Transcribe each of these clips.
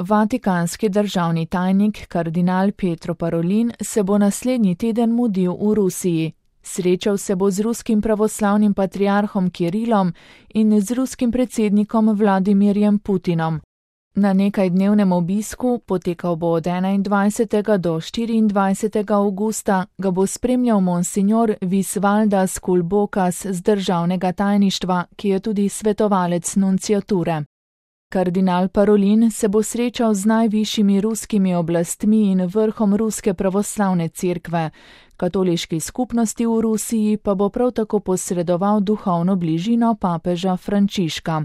Vatikanski državni tajnik kardinal Pietro Parolin se bo naslednji teden mudil v Rusiji. Srečal se bo z ruskim pravoslavnim patriarhom Kirilom in z ruskim predsednikom Vladimirjem Putinom. Na nekajdnevnem obisku, potekal bo od 21. do 24. avgusta, ga bo spremljal monsignor Visvaldas Kulbokas z državnega tajništva, ki je tudi svetovalec nunciature. Kardinal Parolin se bo srečal z najvišjimi ruskimi oblastmi in vrhom Ruske pravoslavne cerkve. Katoliški skupnosti v Rusiji pa bo prav tako posredoval duhovno bližino papeža Frančiška.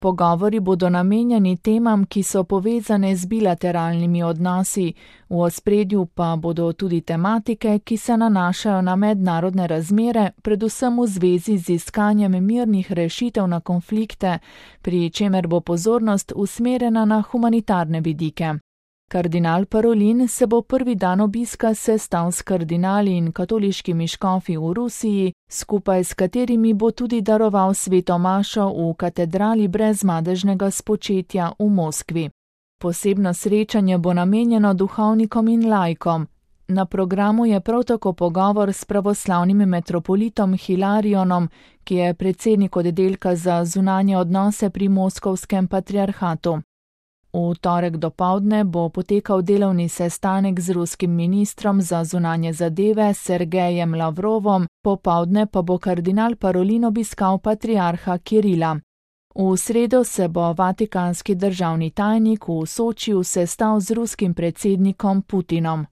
Pogovori bodo namenjeni temam, ki so povezane z bilateralnimi odnosi, v ospredju pa bodo tudi tematike, ki se nanašajo na mednarodne razmere, predvsem v zvezi z iskanjem mirnih rešitev na konflikte, pri čemer bo pozornost usmerjena na humanitarne vidike. Kardinal Parolin se bo prvi dan obiska sestal s kardinali in katoliškimi škofi v Rusiji, skupaj s katerimi bo tudi daroval sveto mašo v katedrali brezmadežnega spočetja v Moskvi. Posebno srečanje bo namenjeno duhovnikom in laikom. Na programu je prav tako pogovor s pravoslavnim metropolitom Hilarionom, ki je predsednik oddelka za zunanje odnose pri Moskovskem patriarhatu. V torek dopoldne bo potekal delovni sestanek z ruskim ministrom za zunanje zadeve Sergejem Lavrovom, popoldne pa bo kardinal Parolin obiskal patriarha Kirila. V sredo se bo vatikanski državni tajnik v Sočiju sestal z ruskim predsednikom Putinom.